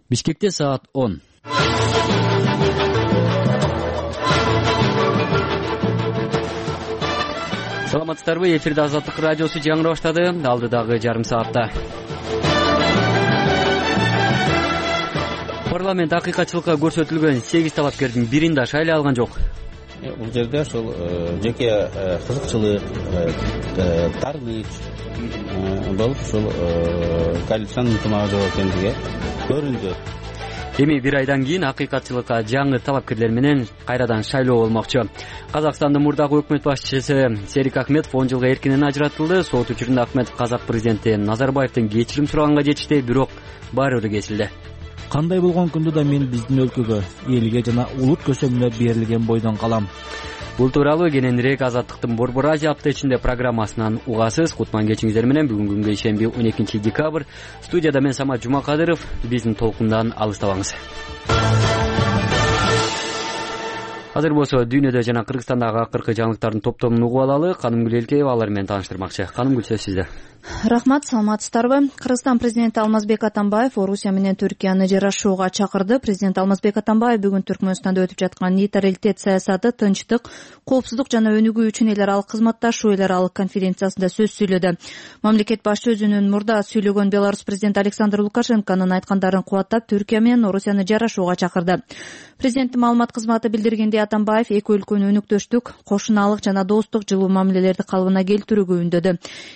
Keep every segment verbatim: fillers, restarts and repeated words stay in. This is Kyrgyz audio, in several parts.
Бишкекте саат он. Саламатсыздарбы? Эфирде Азаттык радиосу жаңыра баштады. Алдыдагы жарым саатта парламент акыйкатчылыкка көрсөтүлгөн сегиз талапкердин бирин да шайлай алган жок. Бул жерде ошол жеке кызыкчылык, тартыныч болуп ушул коалициянын ынтымагы жок экендиги көрүндү. Эми бир айдан кийин акыйкатчылыкка жаңы талапкерлер менен кайрадан шайлоо болмокчу. Казакстандын мурдагы өкмөт башчысы Серик Ахметов он жылга эркинен ажыратылды. Сот учурунда Ахметов казак президенти Назарбаевдин кечирим сураганга жетишти, бирок баары бир кесилди. Кандай болгон күндө да мен биздин өлкөгө, элге жана улут көсөмүнө берилген бойдон калам. Бул тууралуу кененирээк Азаттыктын Борбор Азия апта ичинде программасынан угасыз. Кутман кечиңиздер менен бүгүнкү күнгө ишемби он экинчи декабрь. Студияда мен Самат Жумакадыров. Биздин толкундан алыстабаңыз. Азыр болсо дүйнөдө жана Кыргызстандагы акыркы жаңылыктардын топтомун угуп алалы. Канымгүл Элкеева алар менен тааныштырмакчы. Канымгүл, сөз сизде. Рахмат, саламатсыздарбы? Кыргызстан президенти Алмазбек Атамбаев Орусия менен Түркияны жарашууга чакырды. Президент Алмазбек Атамбаев бүгүн Түркмөнстанда өтүп жаткан нейтралитет саясаты, тынчтык, коопсуздук жана өнүгүү үчүн эл аралык кызматташуу эл аралык конференциясында сөз сүйлөдү. Мамлекет башчысы өзүнүн мурда сүйлөгөн Беларусь президенти Александр Лукашенконун айткандарын кубаттап, Түркия менен Орусияны жарашууга чакырды. Президенттин маалымат кызматы билдиргендей, Атамбаев эки өлкөнү өнүктүштүк, кошунаалык жана достук жылуу мамилелерди калыбына келтирүүгө үндөдү.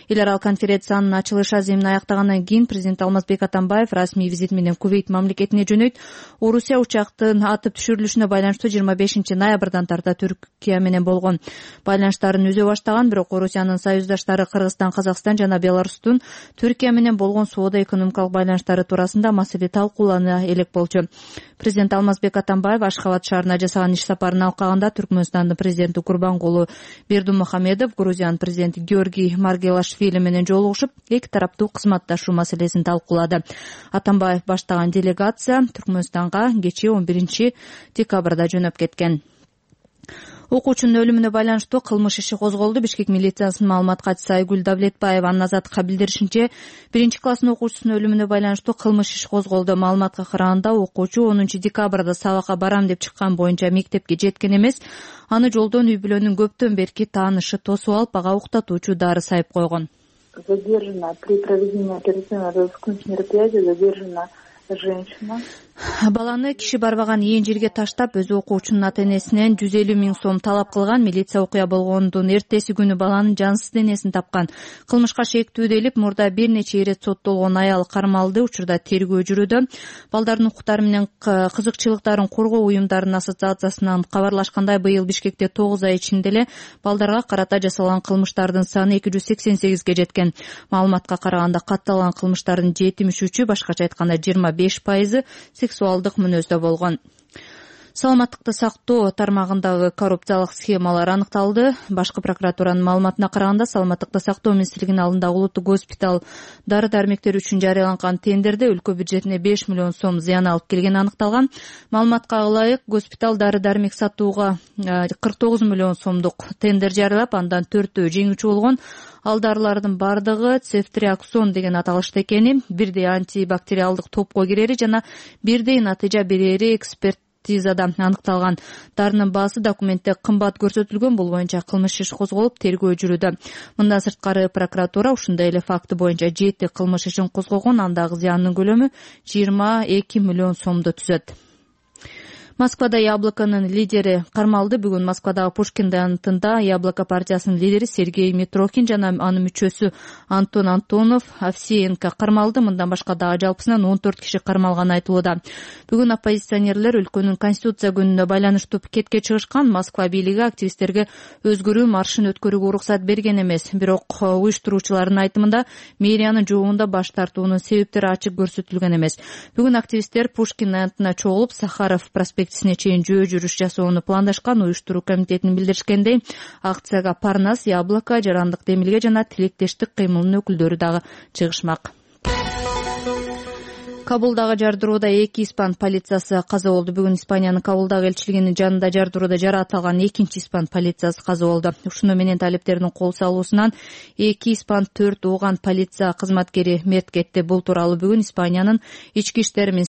Эл аралык конференциянын ачылыш аземин аяктагандан кийин президент Алмазбек Атамбаев расмий визит менен Кувейт мамлекетине жөнөйт. Орусия учактын атып түшүрүлүшүнө байланыштуу жыйырма бешинчи ноябрдан тарта Түркия менен болгон байланыштарын үзө баштаган, бирок Орусиянын союздаштары Кыргызстан, Казакстан жана Беларустун Түркия менен болгон соода экономикалык байланыштары туурасында маселе талкуулана элек болчу. Президент Алмазбек Атамбаев Ашхабад шаарына жасаган иш сапарын алкаганда Түркмөнстандын президенти Курбангулу Бердимухамедов, Грузиянын президенти Георгий Маргелашвили менен жолугушуп, эки тараптуу кызматташуу маселесин талкуулады. Атамбаев баштаган делегация Түркмөнстанга кечээ он биринчи декабрда жөнөп кеткен. Окуучунун өлүмүнө байланыштуу кылмыш иши козголду. Бишкек милициясынын маалымат катчысы Айгүл Давлетбаева Азаттыкка билдиришинче, биринчи класстын окуучусунун өлүмүнө байланыштуу кылмыш иши козголду. Маалыматка караганда, окуучу онунчу декабрда сабакка барам деп чыккан боюнча мектепке жеткен эмес. Аны жолдон үй-бүлөнүн көптөн берки таанышы тосуп алып, ага уктатуучу дары сайып койгон. Задержана при проведении оперативно-розыскных мероприятий задержана женщина. Баланы киши барбаган ээн жерге таштап, өз окуучунун ата-энесинен жүз элүү миң сом талап кылган. Милиция окуя болгондун эртеси күнү баланын жансыз денесин тапкан. Кылмышка шектүүдөлүп, мурда бир нече ирет соттолгон аял кармалды. Учурда тергөө жүрүүдө. Балдардын укуктары менен кызыкчылыктарын коргоо уюмдарынын ассоциациясынан кабарлашкандай, быйыл Бишкекте тогуз ай ичинде эле балдарга карата жасалган кылмыштардын саны эки жүз сексен сегизге жеткен. Маалыматка караганда, катталган кылмыштардын жетимиш үчү, башкача айтканда жыйырма беш пайызы сексуалдык мүнөздө болгон. Саламаттыкты сактоо тармагындагы коррупциялык схемалар аныкталды. Башкы прокуратуранын маалыматына караганда, Саламаттыкты сактоо министрлигинин алдындагы улуттук госпиталь дары-дармектер үчүн жарыяланган тендерде өлкө бюджетине беш миллион сом зыян алып келгени аныкталган. Маалыматка ылайык, госпиталь дары-дармек сатууга кырк тогуз миллион сомдук тендер жарыялап, андан төртөө жеңүүчү болгон. Ал дарылардын бардыгы цефтриаксон деген аталышта экени, бирдей антибактериалдык топко кирери жана бирдей натыйжа берери эксперт экспертизада аныкталган. Дарынын баасы документте кымбат көрсөтүлгөн. Бул боюнча кылмыш иш козголуп, тергөө жүрүүдө. Мындан сырткары прокуратура ушундай эле факты боюнча жети кылмыш ишин козгогон. Андагы зыяндын көлөмү жыйырма эки миллион сомду түзөт. Москвада Яблоконун лидери кармалды. Бүгүн Москвадагы Пушкин даянтында Яблоко партиясынын лидери Сергей Митрохин жана анын мүчөсү Антон Антонов Овсеенко кармалды. Мындан башка дагы жалпысынан он төрт киши кармалганы айтылууда. Бүгүн оппозиционерлер өлкөнүн конституция күнүнө байланыштуу пикетке чыгышкан. Москва бийлиги активисттерге өзгөрүү маршын өткөрүүгө уруксат берген эмес. Бирок уюштуруучулардын айтымында мэриянын жообунда баш тартуунун себептери ачык көрсөтүлгөн эмес. Бүгүн активисттер Пушкин даянтына чогулуп, Сахаров проспект чейин жөө жүрүш жасоону пландашкан. Уюштуруу комитетинин билдиришкендей, акцияга Парнас, Яблоко, Жарандык Демилге жана Тилектештик кыймылынын өкүлдөрү дагы чыгышмак. Кабулдагы жардырууда эки испан полициясы каза болду. Бүгүн Испаниянын Кабулдагы элчилигинин жанында жардырууда жараат алган экинчи испан полициясы каза болду. Ушуну менен талиптердин кол салуусунан эки испан, төрт ооган полиция кызматкери мерт кетти. Бул тууралуу бүгүн Испаниянын ички иштер